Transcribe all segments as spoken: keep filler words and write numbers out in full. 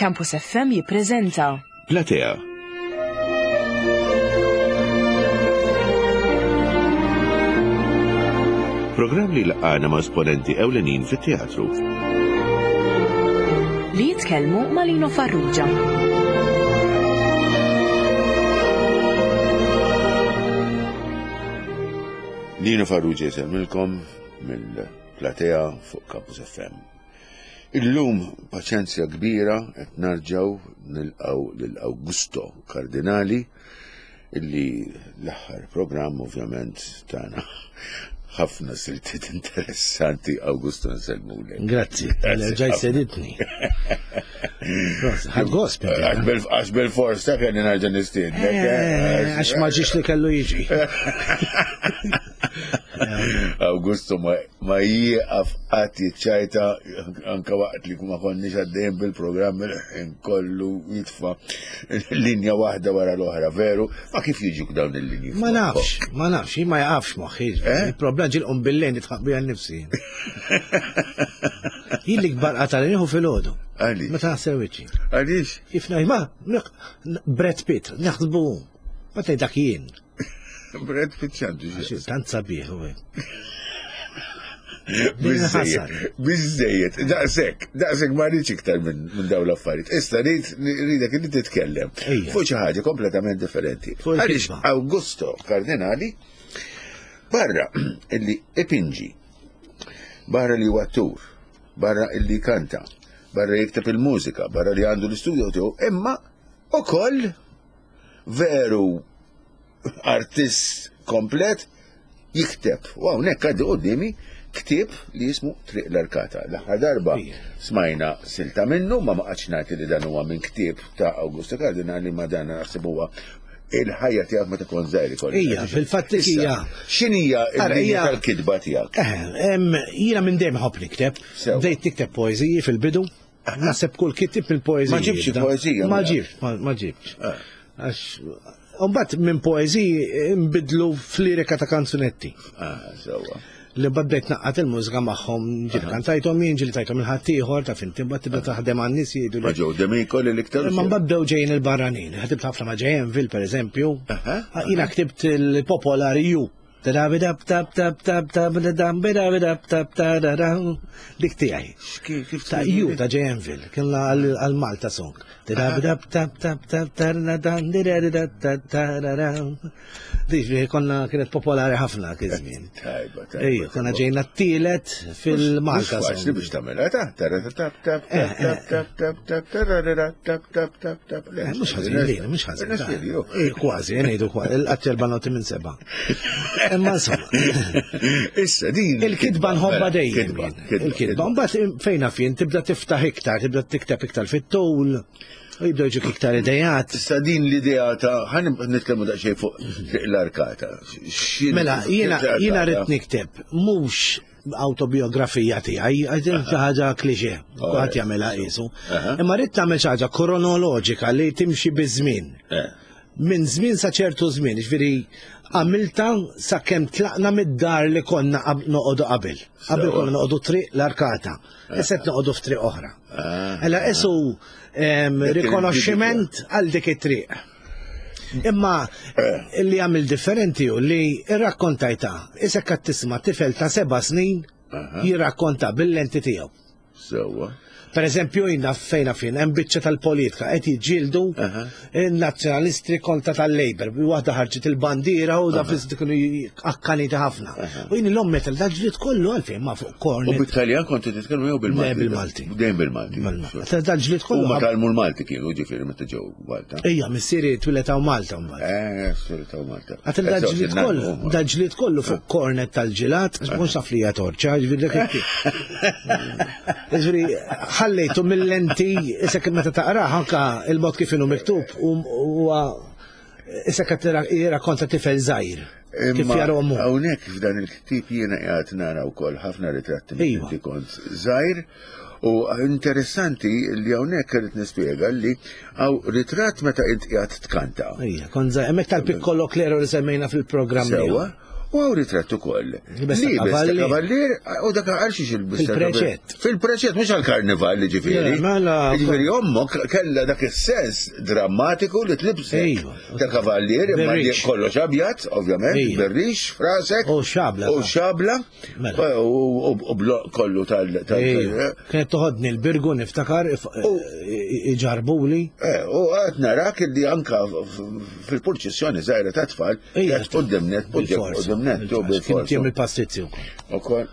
Campus F M jippreżenta Platea. Programm li laqgħana ma' esponenti ewlenin fit-teatru. Li jitkellmu ma' Lino Farrugia. Lino Farrugia jsemmilkom mill-Platea fuq Campus F M. Illum paċenzja kbira qed narġgħu nilqgħu lil Augusto Cardinali illi l-aħħar programm ovvjament tagħna ħafna siltiet interessanti. Augusto, nsellmulek. Grazzi, ġaj seditni. Ħad gost, Għax bil-fors ta' kelli nerġa' nistiednek, eh? Għax ma ġiex li kellu jiġi. Augusto ma jieqaf qatt jiċċajta anke waqt li ma konniex għaddejjin bil-programm il-ħin kollu jitfa' linja waħda wara l-oħra, veru? Ma kif jiġuk dawn il-linji? Ma nafx, ma nafx, ma jaqafx moħħi. Il-problema ġil qum bil-lejn nitħaq biha nnifsi. Jien li kbar qatal nieħu filgħodu. Għaliex? Meta naħsel wiċċi. Għaliex? Kif ngħid, ma, Brad Pitt, naħsbu. Ma tgħid dak jien. Brad Pitt x'għandu xi Għax tant sabiħ u hekk. Biżżejjed, biżżejjed, daqshekk, daqshekk ma rridx iktar minn dawn l-affarijiet. Issa rrid rridek li titkellem Ejja. fuq xi ħaġa kompletament differenti. Fuq Għaliex il-kitba. Augusto Cardinali barra illi ipinġi, barra li huwa attur, barra illi kanta, barra jikteb il-mużika, barra li għandu l-istudio tiegħu, imma ukoll veru artist komplet jikteb. U hawnhekk għaddi quddiemi ktieb li jismu Triq l-Arkata. L-aħħar darba Ija. smajna silta minnu, ma ma qgħadx ngħid li dan huwa minn ktieb ta' Augusto Cardinali, ma dan naħseb huwa il-ħajja tiegħek meta kont żgħir ikollok. Ija, fil-fatt Issa, hija. x'inhija Ara, l-linja hija- tal-kitba tiegħek? Eh, em, jiena minn dejjem ħobb nikteb. Sew. Bdejt nikteb poeżiji fil-bidu. Naħseb kull kitib il-poeżiji. Ma ġibx poeżija, Ma mela. ġibx, ma, ma ġibx. Eh. Għax Mbagħad minn poeżiji nbidlu f'lirika ta' kanzunetti. Ah, sewwa. Li mbagħad bdejt naqqat il-mużika magħhom, ġieli kantajthom jien, ġieli tajthom il-ħaddieħor, ta' finti, mbagħad tibda taħdem għan-nies jgħidu li Ma ġew D'Amico li l-iktar Imma mbagħad bdew ġejjin il-barranin. Ħdimt ħafna ma' J M Ville, per eżempju. Aha. Ah, jiena ktibt il-popolari ju. Dik tiegħi. Kif, kif Ta' tgħidu? ju ta' J M Ville, kien la għal-, għal Malta song. Dik konna kienet popolari ħafna kien żmien. Tajba, tajba. Ejja, konna ġejna t-tielet fil-Malta Mhux faċli song. biex tagħmilha, ta' tara, ta' tap, tap, tap, tap, tap, tap, tap, tararara, tap, tap, tap, tap. Le, Eh, mhux ħażin, lejna, mhux ħażin. Nafx li, jo. Eh, kważi, ngħidu kważi, il-qatt erba' noti minn seba'. Imma insomma. Issa din Il-kitba nħobba mela, dejjem kitba, jien. kitba, Il-kitba. Mbagħad fejn naf jien tibda tiftaħ iktar, tibda tikteb iktar fit-tul, u jibdew jiġuk iktar idejat. Issa din l-idea ta' ħan nitkellmu daqsxejn fuq l-arkata. X'in- Mela, jiena, l-arkata? jiena rrid nikteb mhux autobiografija tiegħi, għax din xi ħaġa klixè, kulħadd jagħmilha qisu. Aha. Imma rrid tagħmel xi ħaġa kronoloġika li timxi biż-żmien. Eh. Minn żmien sa ċertu żmien, ġifieri għamilta sakemm tlaqna mid-dar li konna qab-, noqogħdu qabel. Qabel Sewa. konna noqogħdu triq l-arkata. Issa qed noqogħdu f'triq oħra. Ah. Ela isu, em, Dik il- rikonoxximent għal dik it-triq. Imma Eh. li għamil differenti hu li rrakkontajta, isek qed tisma' tifel ta' seba' snin Aha. jirrakkonta bil-lenti tiegħu. Sewa. Per eżempju, jina fejna fin, hemm biċċa tal-politika, qed jiġġieldu Aha. in-nazzjonalisti kontra tal-Labor. Waħda ħarġet il-bandiera u da fis kienu akkaniti ħafna. U jien l-omm metal da ġlied kollu għalfejn ma fuq U kornet. bit-Taljan kontu titkellmu jew bil-Malti? Le, bil-Malti. Dejjem bil-Malti. Bil-Malti. Da ġlied kollu U ma ħab- talmu l-Malti kienu, ġifieri meta ġew Malta. Ejja, missieri twilet hawn Malta mbagħad. Eh, twilet hawn Malta. Għatil da Eh, ġlied so, kollu, huma. da ġlied kollu fuq kornet tal-ġilat, għax ma kontx naf li hija torċa, ġifieri dak it-tip. Ġifieri, ħallejtu mill-lenti, issa kif meta taqrah anka il-mod kif inhu miktub huwa issa qed jirrakkonta tifel żgħir. Kif Imma jara ommu. Hawnhekk f'dan il-ktieb jiena qiegħed nara wkoll ħafna ritratti minn Iva. inti kont żgħir. U interessanti li hawnhekk irid nispjega li hawn ritratt meta int qiegħed tkanta. Ija, kont żgħir, hemmhekk tal-Piccolo Clero li semmejna fil-programm Sewwa. ieħor. U hawn ritratt ukoll. Libes ta' Libes ta' kavallier. kavallier, u dak għal xiex il-bista Fil-preċett. Fil-preċett, mhux għal-karnival, ġifieri. Le, mela- Ġifieri ommok kellha dak is-sens drammatiku li tlibsek Ejwa. ta' kavallier, imma li Berrix. kollox abjad, ovvjament, Ejwa. berrix, frasek. U xabla. U xabla. Mela. U u- u blo- kollu tal. tal- Ejwa. Kienet toħodni l-birgu niftakar if- iġarbuli. Eh, u għad narak li anka f- fil-purċissjoni zaħira ta' tfal, Ejja, għad qoddimnet, qoddimnet, u Kien bil-forza. tiem il-pastizzi wkoll. U kol.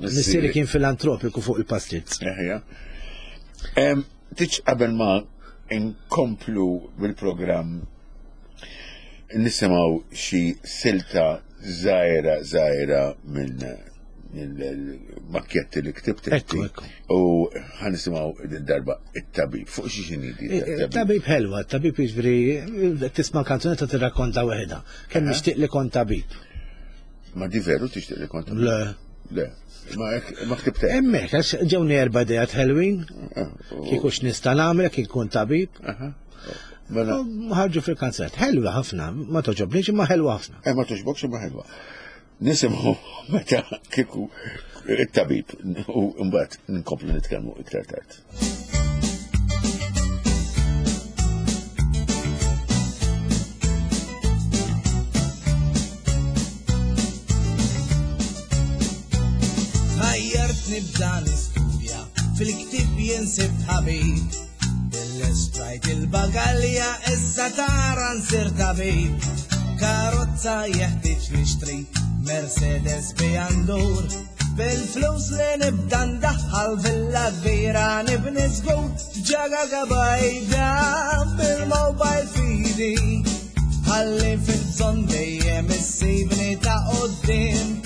Missieri kien filantropiku fuq il-pastizz. Eħja. Em, Tiċ qabel ma inkomplu bil-programm nisimaw xi silta zaħira zaħira minn mill-makkjetti li ktibt inti. Ekku, ekku. U ħanisimaw darba it-tabib. Fuq xi xini di Eh, Tabib ħelwa, tabib jiġifieri tisma' kanzunetta tirrakkonta waħedha. Kemm nixtieq li kont tabib. Ma di veru tixtieq li kont? Le. Le. Ma hekk- ma ktibtek. Hemmhekk għax ġewni erba' idejat ħelwin, kieku x'nista' nagħmel kien kun tabib. Mela, U Ħarġu fil-kanzunetta. Ħelwa ħafna, ma toġobniex imma ħelwa ħafna. eh, ma toġbokx imma ħelwa. Nisimgħu meta kieku it-tabib u mbagħad nkomplu nitkellmu iktar tard. Ħajjart nibda nistudja fil-ktib jinsib ħabib. Bil-estrajt il-bagalja issa tara nsir tabib. Karozza jeħtieġ nixtri Mercedes bijandur. Bil-flus li nibda ndaħħal villa kbira nibni żgur. Ġaga gabajda bil-mobile fidi. Ħalli fil-bżonn dejjem issibni ta' qoddim.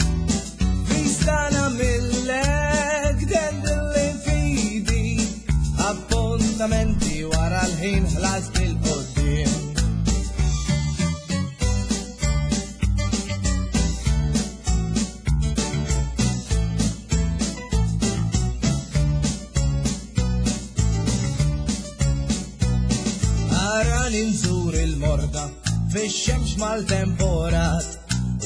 Vistana millek dendilli fidi Appuntamenti wara l-ħin ħlas bil-qoddim Arani nżur il-morda fix-xemx mal-temporat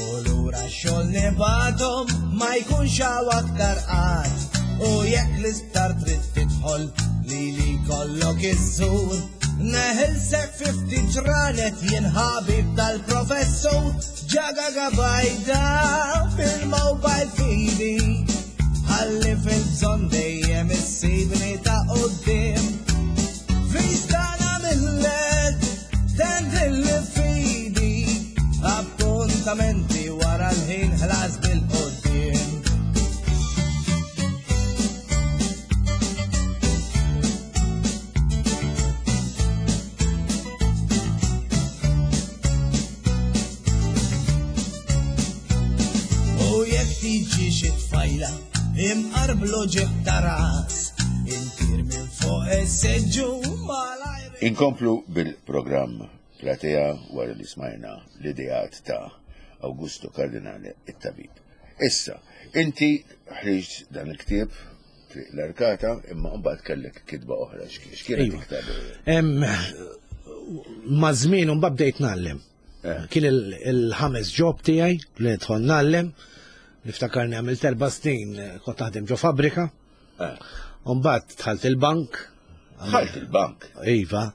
U lura x-xogħol nibatom ma jkunx hawn aktar qatt U jekk l-isptar trid tidħol lili kollok iżżur Neħilsek fi ftit ġranet jien ħabib tal-professur Ġaga gabajda fil-mobile fidi Ħalli fil-bżonn dejjem issibni ta' qoddim Vistana millek, tendilli fidi, appuntamenti wara l-ħin ħlas bil-qoddim. U jekk tiġi xi tfajla, imqarblu ġieħ ta' ras, intir minn fuq is-seġġu malajr. Inkomplu bil-programm Platea wara li smajna l-ideat ta' Augusto Cardinale it-tabib. Issa, inti ħriġt dan il-ktieb Triq l-Arkata, imma mbagħad kellek kitba oħra. X'k- X'kienet Iva. iktar? Em, Ma żmien un bdejt ngħallem. Eh. Kien il- il-ħames job tiegħi li nidħol ngħallem. Niftakarni għamilt erba' snin eh, kont naħdem ġo fabbrika. Eh. U mbagħad dħalt il-bank. Ħalt il-bank. Iva.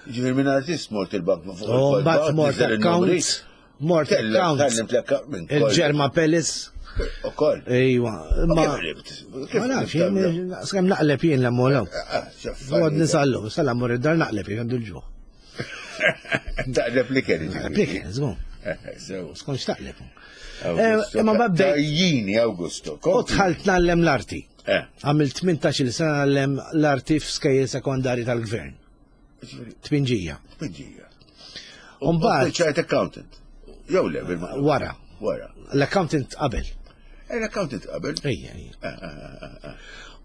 Ġifieri minn artist mort il-bank ma fuq U mbagħad mort account. Mort account. Tallimt l-account minn kollox. Il-Ġerma Palace. Ukoll. Iva. Ma Ma kif ħribt? Kif ma nafx, ħribt? jien- skemm naqleb jien l-ammolaw. Ah, x'affarijiet. Għod nisallu, sal mor id-dar naqleb jien għandu l-ġuħ. Taqleb li kelli. ġifieri. Plik, żgur, Eh, sew. skonx taqleb. Augusto, Eh, imma ma bdejt- Tajjini, Augusto. U kompli. dħalt nallem l-arti. Eh, Għamilt tmintax-il sena nallem l-arti f'skejjel sekondari tal-gvern. ġifieri, Tpinġija. tpinġija. U mbagħad- Spiċċajt accountant. Jew le, bil Wara. Wara. L-accountant qabel. Eh, L-accountant qabel. Ejja, ejja. Eh, eh, eh, eh.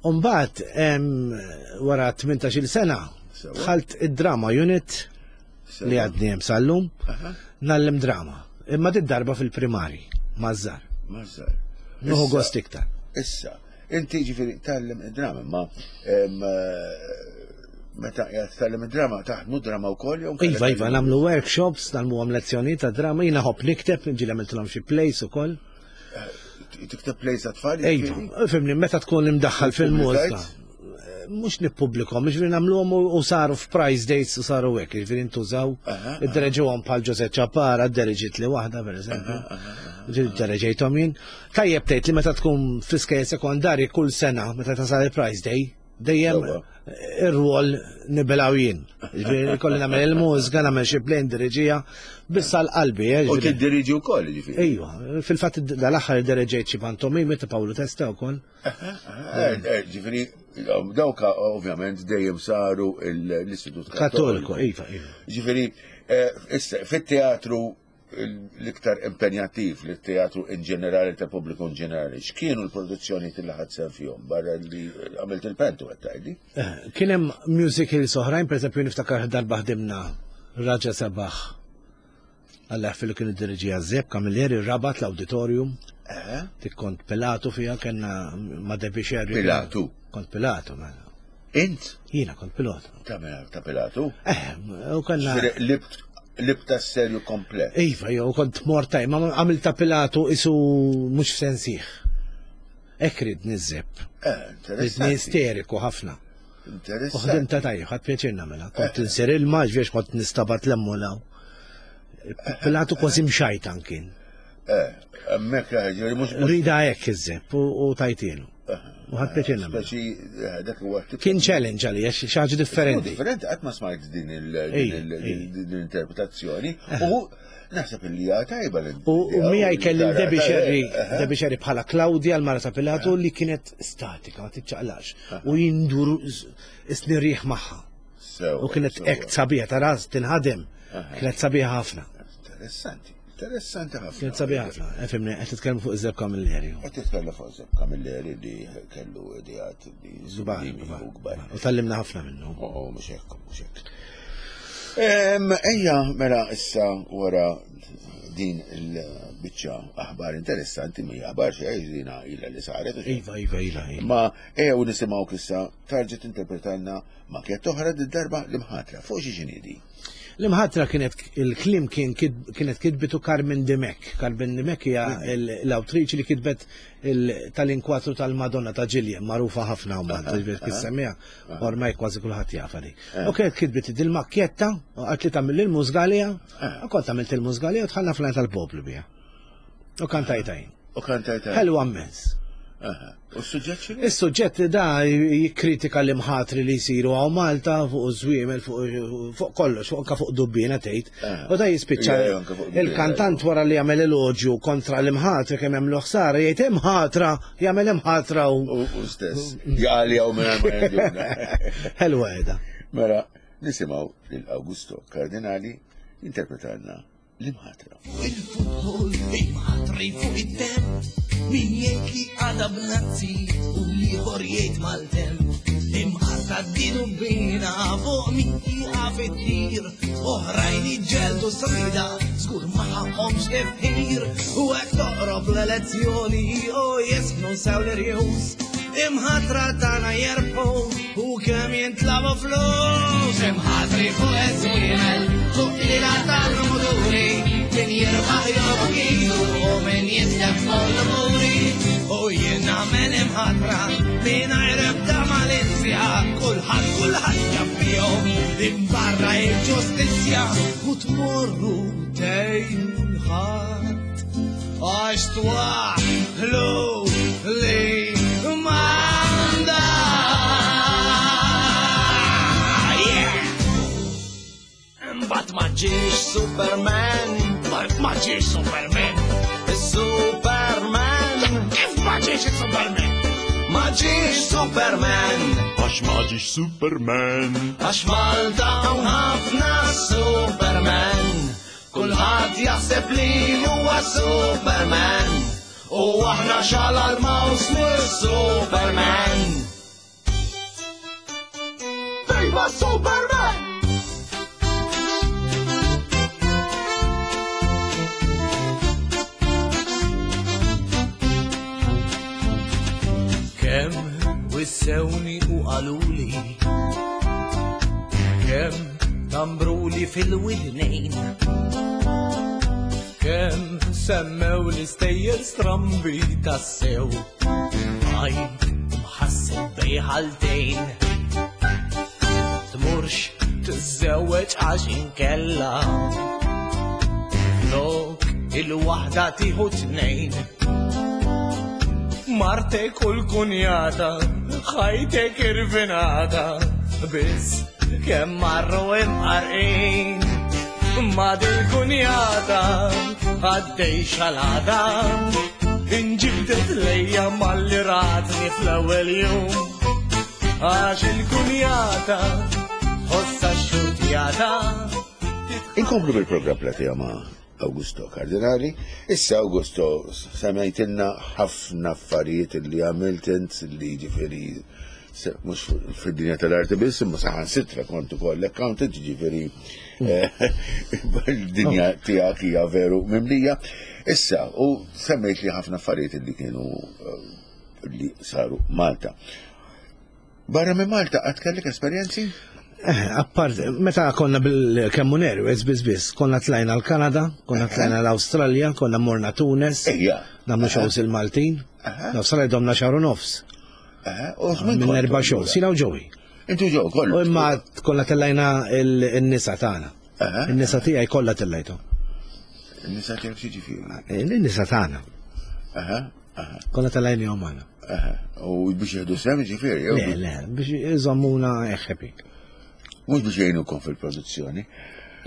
U mbagħad em, wara tmintax-il sena Sewa. dħalt id-drama unit Sewa. li għadni hemm sal-lum, Aha. nallem drama. Imma dit darba fil-primari, mażżar. Mażżar. Nuħu Issa- gost iktar. Issa, inti ġifieri tgħallem id-drama, ma em, eh, Meta qiegħed tgħallem id-drama, taħdmu drama wkoll jew Iva, iva, nagħmlu workshops, nagħmluhom lezzjonijiet ta' drama, jiena ħobb nikteb, ġieli għamiltilhom xi plays ukoll. Tikteb plays għat-tfal? Iva, fhimni, meta tkun imdaħħal fil-mużika. Mhux nippubblikhom, jiġifieri nagħmluhom u saru f'prize dates u saru hekk, jiġifieri ntużaw. Iddereġuhom bħal Jose Ċapara, ddereġiet li waħda pereżempju. Ġieli ddereġejthom jien. Tajjeb tgħid li meta tkun fl-iskejjel sekondarji kull sena meta tasal il-prize day, dejjem ir-rwol nibilaw jien. Jiġifieri kolli nagħmel il-mużika, nagħmel xi play ndiriġija, biss għal qalbi. U tiddiriġi wkoll jiġifieri. Ejwa, fil-fatt dal-aħħar iddereġejt xi pantomimi ta' Pawlu Testa wkoll. Ġifieri dawk ovvjament dejjem saru l-Istitut Kattoliku. Iva, iva. Ġifieri fit-teatru l-iktar impenjattiv li teatru in ġenerali ta' pubbliku in ġenerali, x'kienu l-produzzjoni li ħadt sehem fihom barra li għamilt il-pentu qed tgħidli? Kien hemm musicals oħrajn, pereżempju niftakar darba ħdimna Raġa Sabaħ. Alla fil kien id-diriġija Zepp Camilleri Rabat l-auditorium. Tik kont Pilatu fiha kellna ma' Debbie Sherry. Pilatu? Kont Pilatu, mela. Int? Jiena kont Pilatu. Ta' Pilatu? Eh, u kellna. Libta serju komplet. Iva, jo, kont mortaj, ma għamilta Pilatu isu mhux f'sensih. Hekk ridni ż-Zepp. Ridni isteriku ħafna. Interessanti. U ħdimta tajjeb, ħadd pjaċir nagħmilha. Kont insir ilma, ġviex kont nistabat l-emmolaw. Pilatu kważi mxajtan kien. Eh, hemmhekk ġifieri mhux. Rida hekk iż-Zepp u tajtielu. U ħadd pjaċir nagħmilha. Speċi dak huwa Kien challenge għalija, xi ħaġa differenti. Differenti, qatt ma smajt din l-interpretazzjoni. U naħseb li hija tajba l U miegħi kelli Debbie Sherry, Debbie Sherry bħala Claudia l-mara ta' Pilatu li kienet statika, ma tiċċaqlax. U jindur isni riħ magħha. U kienet hekk sabiħa ta' ras tinħadem. Kienet sabiħa ħafna. Interessanti. Interessanti ħafna. Kienet sabiħa ħafna. Fimni, qed titkellmu fuq Zepp Camilleri. Qed titkellmu fuq Zepp Camilleri li kellu ideat li żbaħ u kbar. U tallimna ħafna minnu. Oh, mhux hekk, mhux hekk. Ejja, mela issa wara din il-biċċa aħbar interessanti, mhija aħbar xejn dina ilha li saret. Iva, iva, ilha. Ma ejja u nisimgħu issa tarġa' tinterpretalna makjett oħra did-darba l-imħatra. Fuq xi x'inhi? L-imħatra kienet il-klim kien kienet kitbitu Carmen Dimech. Carmen Dimech hija l-awtriċi li kitbet tal-inkwatru tal-Madonna ta' Ġiljem, magħrufa ħafna u Malta, ġifieri kif semmiha, ormai kważi kulħadd jafha di. U kienet kitbit dil-makkjetta u qalt li tagħmel il-mużga għaliha, u kont għamilt il-mużga għaliha u dħalna fl tal-poplu biha. U kantajta jien. U kantajta. Ħelwa immens. U s-suġġett x'inhu? Is-suġġett da jikkritika l-imħatri li jsiru hawn Malta fuq żwiemel fuq kollox, fuq anke fuq dubbina tgħid. U da jispiċċa il-kantant wara li jagħmel eloġju kontra l-imħatri kemm hemm ħsara jgħid imħatra, jagħmel imħatra u u stess. Jaqali hawn minn ma jgħidulna. Ħelwa qiegħda. Mela nisimgħu lil Augusto Cardinali jinterpretalna l-imħatra. Il-futbol imħatri fuq it-temp. Min jgħid li għada b'nazzi u l-ieħor jgħid maltem. Imqarta d-dinu bina fuq min jieqaf it-tir. Oħrajn iġġeldu srida, żgur ma ħaqhomx tifħir. U hekk toqrob l-elezzjoni u jisħnu sew l-irjus. Imħatra tagħna jerbħu u kemm jintlabu flus. Imħatri fuq iż-żwiemel, fuq lila tal-muduri. Min jirbaħ jogħbu idu u min jitlef kollu muri. U jien nagħmel imħatra mingħajr ebda malizja. Kulħadd kulħadd jaf fihom imbarra il-ġustizzja. U tmorru tgħinu l-ħadd għax twaħħlu li manda. Mbagħad ma ġiex Superman. Ma ġiex Superman. Superman. Kif ma ġiex Superman? Ma ġiex Superman. Għax ma ġiex Superman. Għax Malta hawn ħafna Superman. Kulħadd jaħseb li huwa Superman. U aħna xala l-maws mis-Superman. Viva Superman! Kemm wissewni u qaluli Kemm tambruli fil-widnejn, kemm semmew l-istejjer strambi tassew, għajt mħasseb bejħaltejn. Tmurx tiżżewweġ għax inkella flok il-waħda tieħu tnejn. Martek u l-kunjata, ħajtek irvinata, biss kemm marru imqarqin. Ma dil-kunjata għaddej xalata, inġibdet lejja malli ratni fl-ewwel jum. Għax il-kunjata ħossa xutjata. Inkomplu bil-programm Platea ma' Augusto Cardinali. Issa Augusto, semmejtilna ħafna affarijiet li għamilt int li ġifieri se- mhux fid-dinja tal-arti biss, imma saħansitra kont ukoll accountant, ġifieri eh, il-dinja tiegħek hija veru mimlija. Issa, u semmejt li ħafna affarijiet li kienu eh, li saru Malta. Barra minn Malta, għad kellek esperjenzi? Eh, appart, meta konna bil-Kemmun Airways, biz biz, konna tlajna l-Kanada, konna tlajna l-Australja, konna morna Tunes, Ejja. nagħmlu shows il-Maltin, l-Australja domna xahar u nofs, Eh, u minn minn kontu erba' allura? shows, jiena u Joey. Intu ġew kollu. U imma konna tellajna il-nisa tagħna. Aha. Il-nisa tiegħi kollha tellajtu. Nisa tiegħek xi ġifieri. Il-nisa tagħna. Aha, aha, Konna tellajnihom magħna. aha. U biex jieħdu sehem ġifieri, jew Le, le, biex iżommuna happy. mhux biex jgħinukom fil-produzzjoni.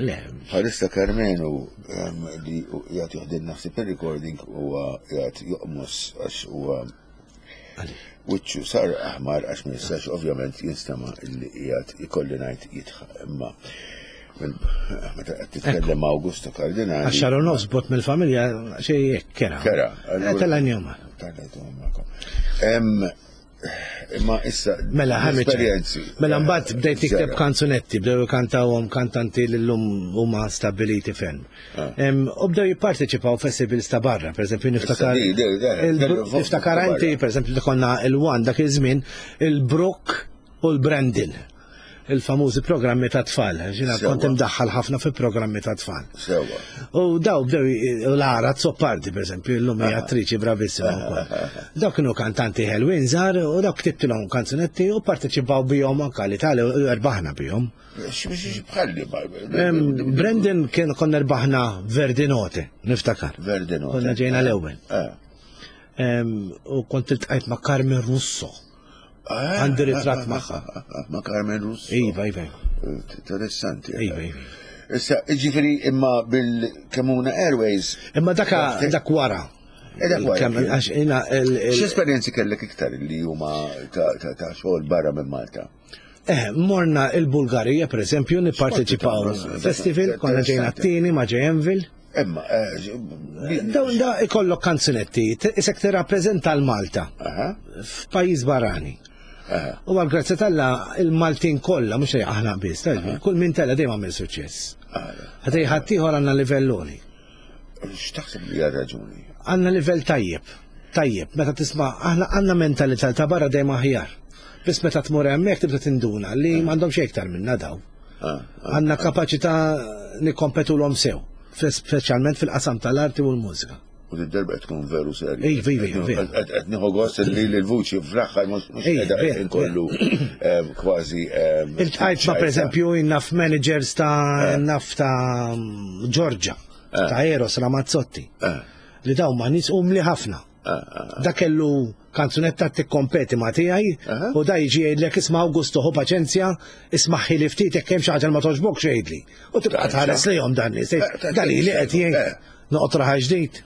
Le, Bħalissa Karmenu em, li jgħat joħdilna ħsieb il-recording huwa jgħat joqmos għax huwa għaliex. wiċċu sar aħmar għax ma jistax ovvjament jinstema' illi qiegħed ikolli ngħid jidħaq imma minn- meta qed titkellem ma' Augusto Cardinali. Għax xahar u nofs bogħod mill-familja xej jekk kera. Kera, Eh, Tellajnihom magħna. Tellajtuhom magħkom. Em, Imma issa Mela, ħamiċ. esperjenzi. Mela, mbagħad bdejt tikteb Ġara. kanzunetti, bdew kantawhom kantanti li llum huma stabiliti ferm. Ah. Em, U bdew jipparteċipaw festivals ta' barra, per eżempju niftakar. di- di- di- il- kellu fuq- Niftakar barra. inti, per eżempju, konna il-One dak iż-żmien, il-Brook u l-Brandon. Il-famużi programmi ta' tfal. Ġina Sewa. kont imdaħħal ħafna fi programmi ta' tfal. Sewa. U daw bdew u Lara Azzopardi, per eżempju, illum hija attriċi bravissima wkoll. Daw kienu kantanti ħelwin żgħar u daw ktibtilhom kanzunetti u parteċipaw bihom anke l-Italja u erbaħna bihom. X- Bħalli Em, Brendan kien konna erbaħna Verdinote, niftakar. Verdinote. Konna ġejna l-ewwel. Ah. Em, U kont iltqajt ma' Carmen Russo. Ah, Għandi ritratt ah, magħha. ah, ah, Ma' Carmen Russo. Iva, iva. Interessanti. Iva, iva. Issa, ġifieri imma bil-Kemmuna Airways. Imma daka dak wara. Eh, dak wara, Kemm- kien. Għax jina il- il- X'esperjenzi kellek iktar li huma ta' ta' ta' xogħol barra minn Malta? Eh, morna il-Bulgarija, per eżempju, nipparteċipaw festival, konna ġejna t-tieni ma' J-Envil. Imma, eh, Dawn da ikollok kanzunetti, t- isek tirrappreżenta l-Malta aha, f'pajjiż barrani. aha. U għal grazzja t'Alla il-Maltin kollha, mhux aħna biss, ta' kull min tella dejjem għamel suċċess. Ħatej ħaddieħor għandna livell għoli. X'taħseb li hija raġuni? Għandna livell tajjeb, tajjeb, meta tisma' aħna għandna mentalità ta' barra dejjem aħjar. Biss meta tmur hemmhekk tibda tinduna li m'għandhomx iktar minna daw. Ah, Għandna kapaċità nikkompetu l sew, speċjalment fil-qasam tal-arti u l-mużika. U d-darba qed tkun veru serju. Iva, iva, iva. Qed qed nieħu gost li l-vuċi fl-aħħar mhux mhux Iva, qiegħda vera, inkollu em, kważi em, Iltqajt ma' per eżempju naf managers ta' naf ta' Georgia, ta' Eros Ramazzotti, Eh, li daw ma' nies umli ħafna. eh, eh. Da kellu kanzunetta tikkompeti ma' tiegħi Aha. u da jiġi jgħidlek isma' Augusto ħu paċenzja, isma' li ftit jekk hemm xi ħaġa li ma toġbokx jgħidli. U tibqa' tħares lejhom dan nies, Eh, dan li qed jgħid eh. noqgħod raħa ġdid.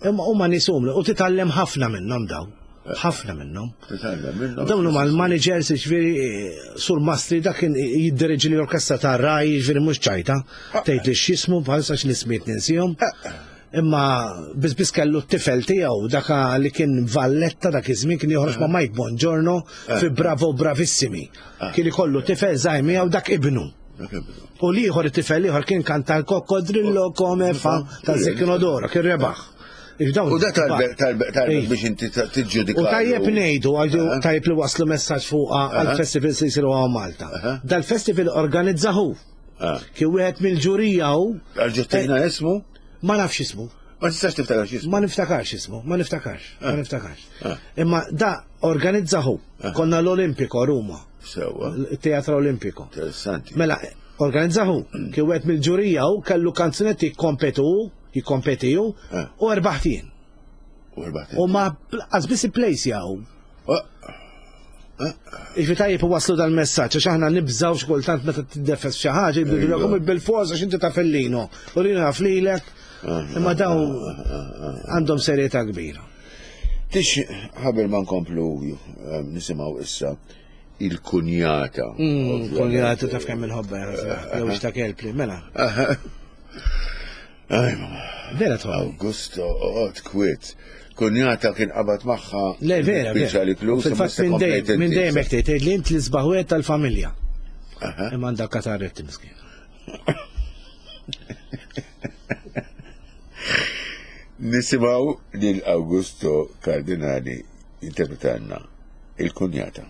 Imma huma nies umli u titgħallem ħafna minnhom daw. Ħafna minnhom. Titgħallem minnhom. Dawn huma l-managers, ġifieri Sur Mastri dak kien jiddireġi l-orkestra ta' Rai, ġifieri mhux ċajta, tgħid li x'jismu bħalissa x'nismiet ninsihom. Imma biss biss kellu t-tifel tiegħu daka li kien Valletta dak iż-żmien kien joħroġ ma' Mike Bongiorno fi Bravo Bravissimi. Kien ikollu tifel żgħir miegħu dak ibnu. Dak ibnu. U l-ieħor it-tifel ieħor kien kanta l-Coccodrillo come fa ta' Zecchino d'Oro, kien rebaħ. U da talbek talbek biex inti tiġġudika. U tajjeb ngħidu, tajjeb li waslu messaġġ fuq għall-festivals li jsiru hawn Malta. Dal-festival organizzahu. Kien wieħed mill-ġurija hu. Għal-ġuttina ismu? Ma nafx ismu. Ma tistax tiftakarx ismu? Ma niftakarx ismu, ma niftakarx, ma niftakarx. Imma da organizzahu. Konna l-Olimpiko Ruma. Sewa. Il-Teatro Olimpiko. Interessanti. Mela, organizzahu. Kien wieħed mill-ġurija hu kellu kanzunetti jikkompetu, jikkompetiju u erbaħt jien. U erbaħt. U ma qas biss place jaw. Iġvi tajjeb waslu dal-messaġġ, għax aħna nibżaw xkultant meta tiddefes xi ħaġa, jibdu bil-forza għax inti taf Lino. U Lino jaf lilek, imma daw għandhom serjetà kbira. Tix ħabel ma nkomplu nisimgħu issa il-kunjata. Kunjata taf kemm inħobbha, jew xta' kelpli, mela. Aj, mama. Vera tħobb. Augusto, oqgħod kwiet. Kunjata kien qabad magħha. Le, vera, vera. Fil-fatt minn dejjem hekk tgħid li int l-isbaħ wieħed tal-familja. Imma għandha katarretti miskin. Nisimgħu lil Augusto Cardinali interpretanna il-kunjata.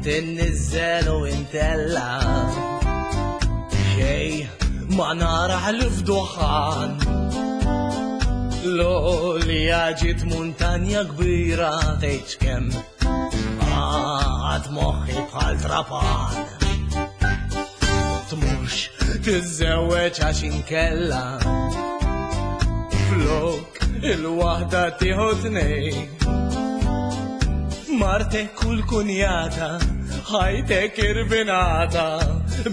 Tinniżel u intella xej ma naraħ l-fduħan l-għolja ġiet muntanja kbira tgħidx kemm għad moħħi bħal trapan tmurx tiżżewweġ għax inkella flok il-waħda tieħu tnejn Martek u l-kunjata, ħajtek irvinata,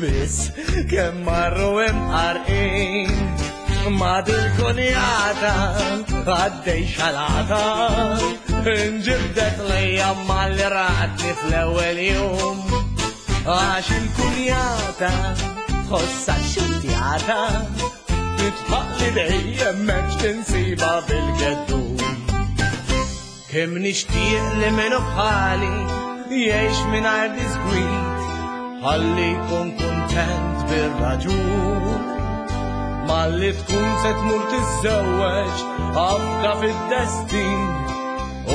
biss kemm marru imqarqin. Ma dil-kunjata, għaddej xalata, inġibdet lejja malli ratni fl-ewwel jum. Għax il-kunjata, tħossha xurtjata, titħaq li dejjem m'hemmx tinsiba bil-geddum. Kemm nixtieq li minnu bħali jgħix mingħajr diskwit, ħalli jkun kuntent bir-raġun. Malli tkun se tmur tiżżewweġ afda fid-destin,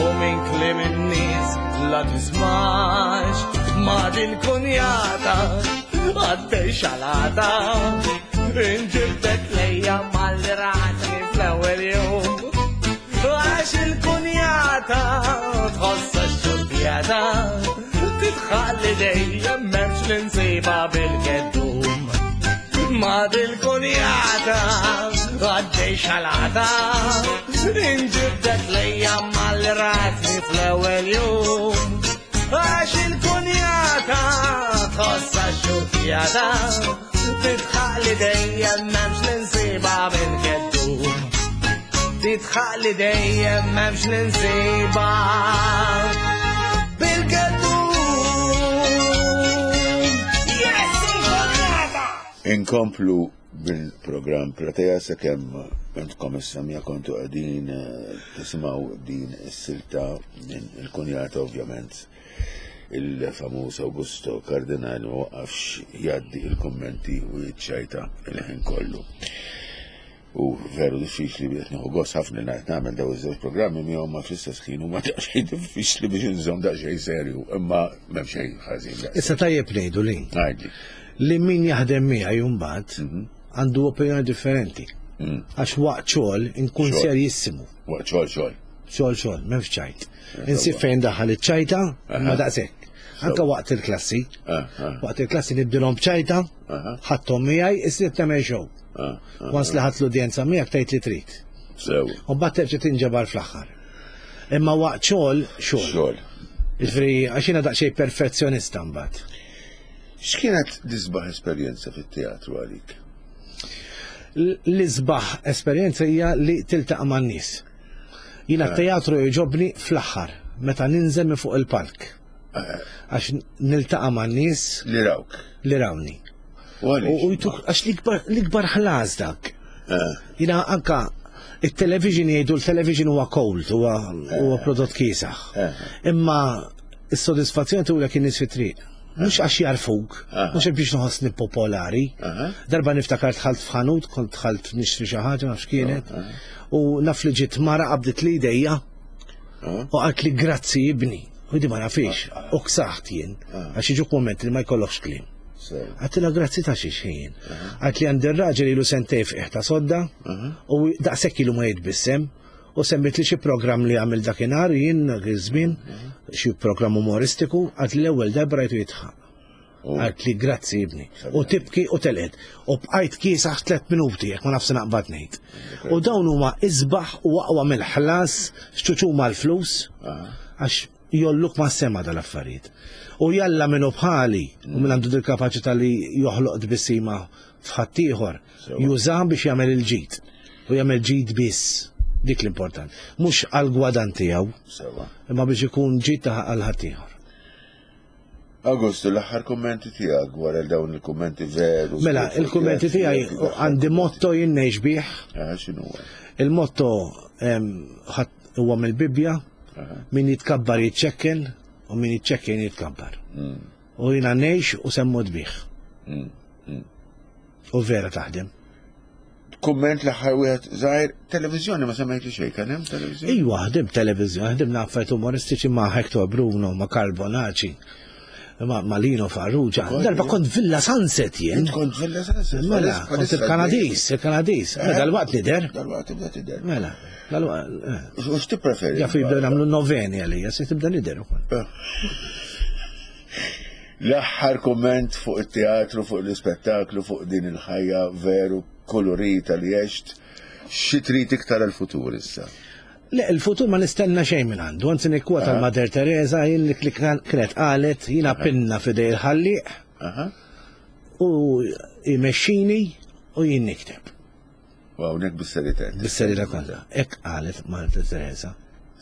u minn kliem in-nies la tismax. Ma dil-kunjata għaddej xalata, inġibdet lejja malli ratni fl-ewwel jum. Għax il-kunjata tħossha x-xurtjata, titħalli dejjem m'hemmx li nsiba bil-geddum. Ma dil-kunjata għaddej xalata, inġibdet lejja malli ratni fl-ewwel jum. Għax il-kunjata tħossha x-xurtjata, titħalli dejjem m'hemmx li nsiba bil-geddum. Titħalli dejjem m'hemmx li nsiba bil-geddum. Yes, il-kunjata! Inkomplu bil-programm Platea sakemm intkom issa mija kontu qegħdin tisimgħu din is-silta minn il-kunjata ovvjament. Il-famuż Augusto Cardinali ma waqafx jgħaddi il-kummenti u jiċċajta il-ħin kollu. U veru diffiċli biex nieħu gost ħafna li ngħid nagħmel dawn iż-żewġ programmi miegħu ma fl-istess ħin huma daqsxejn diffiċli biex inżomm daqsxejn serju, imma m'hemm xejn ħażin. Issa tajjeb ngħidu li. Ngħidli. Li min jaħdem miegħi mbagħad għandu opinjoni differenti. Għax waqt xogħol inkun serjissimu. Waqt xogħol xogħol. Xogħol xogħol, m'hemmx ċajt. Insib fejn daħal iċ-ċajta, ma daqshekk. Anke waqt il-klassi. Waqt il-klassi nibdilhom b'ċajta, ħadthom miegħi, issir tagħmel show. Once li ħadd l-udjenza miegħek tgħid li trid. Sew. U mbagħad terġa' tinġabar fl-aħħar. Imma waqt xogħol xogħol. Xogħol. Jiġifieri għax jiena daqsxejn perfezzjonista mbagħad. X'kienet l-isbaħ esperjenza fit-teatru għalik? L-isbaħ esperjenza hija li tiltaqa' man-nies. Jiena t-teatru jogħġobni fl-aħħar meta ninżel minn fuq il-palk. Għax niltaqa' man-nies li rawk. Li rawni. U għax l-ikbar ħlas dak. Jiena anka il-television jgħidu l-television huwa cold, huwa prodott kiesaħ. Imma Is-sodisfazzjon tulek in-nies fit-triq. Mhux għax jarfuk, mhux biex nħossni popolari. Darba niftakar dħalt f'ħanut, kont dħalt nixtri xi ħaġa nafx kienet, u naf li ġiet mara qabdet li idejja u qalt li grazzi ibni. U di ma nafix, u ksaħt jien, għax jiġuk moment li ma jkollokx kliem. Għedtilha grazzi ta' xiex ħin. Għedt li għandi r-raġel ilu sentejn f'qiegħ ta' sodda u daqshekk ilu ma jitbissem u semmit li xi programm li għamil dakinhar jien dak iż-żmien, xi programm umoristiku, għedt li l-ewwel darba rajtu jidħaq. Għedt li grazzi ibni. U tibki u telqet. U bqajt kiesaħ tliet minuti jekk ma nafx naqbad ngħid. U dawn huma isbaħ u aqwa mill-ħlas x'ċuċuma l-flus għax jolluk ma' sema dal-affarijiet. U jalla minnu bħali u minn għandu dil-kapaċità li joħloq tbissima f'ħaddieħor, jużah biex jagħmel il-ġid. U jagħmel ġid biss. Dik l-important. Mhux għal-gwadan tiegħu, imma biex ikun ġid ta' għal ħaddieħor. Augusto, l-aħħar kummenti tiegħek wara dawn il-kummenti veru. Mela, il-kummenti tiegħi għandi motto jien ngħix bih. Ah, x'inhu? Il-motto huwa mill-Bibbja, min jitkabbar jiċċekken u min jiċċekken jitkabbar. U jiena ngħix u semmut bih. U vera taħdem. Kumment l-aħħar wieħed żgħir, televiżjoni ma semmejt li xejn, kien hemm televiżjoni? Iva, ħdim televiżjoni, ħdimna affarijiet umoristiċi ma' Hector Bruno, ma' Carl Bonacci, ma' ma' Lino Farrugia. Darba kont Villa Sunset jien. Int kont Villa Sunset. Mela, kont il-Kanadis, il-Kanadis. Mela, dal-waqt nider. Dal-waqt tibda tidher. Mela, dal-waqt. eh. U x'tippreferi? Jafu jibdew nagħmlu noveni għalija, se tibda nider ukoll. L-aħħar kumment fuq it-teatru, fuq l-ispettaklu, fuq din il-ħajja veru kolorita li għext, xi trid iktar il-futur issa? Le, il-futur ma nistenna xejn minn għandu, anzi nikkwota l-Mother Teresa jien li li kienet qalet jiena pinna f'idej il-ħallieq Aha. u jmexxini u jien nikteb. U hawnhekk bis-serjetà. Bis-serjetà kollha. Hekk qalet Mother Teresa.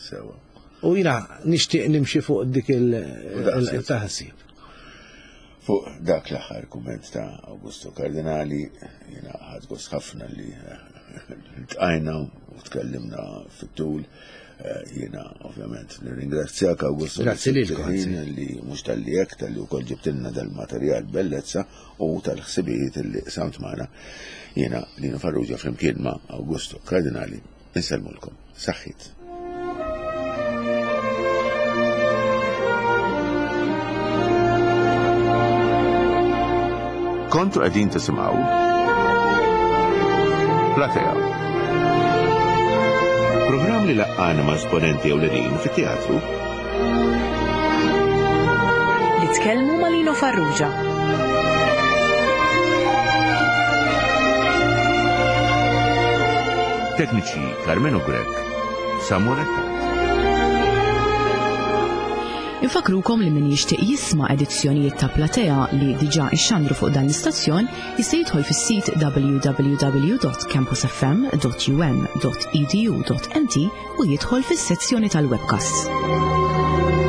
Sewa. U jiena nixtieq nimxi fuq dik daqshekk. il-taħsib. Fuq dak l-aħħar kumment ta' Augusto Cardinali, jiena ħadt gost ħafna li ltqajna u tkellimna fit-tul. Eh, Jiena ovvjament nirringrazzjak Augusto. Grazzi lilkom, ħin grazzi. li mhux tal-li hekk tal-li wkoll ġibtilna dal-materjal bellezza u tal-ħsibijiet li samt magħna. Jiena Lino Farrugia flimkien ma' Augusto Cardinali insellmulkom. Saħħit. Kontu qegħdin tisimgħu Platea. Programm li laqqana ma' esponenti ewlenin fit-teatru Li tkellmu ma' Lino Farrugia. Tekniċi Carmenu Grech, Samuel Attat. Infakrukom li min jixtieq jisma' edizzjonijiet ta' Platea li diġà ixxandru fuq dan l-istazzjon jista' jidħol fis-sit w w w dot campusfm dot u m dot e d u dot m t u jidħol fis-sezzjoni tal-webcasts.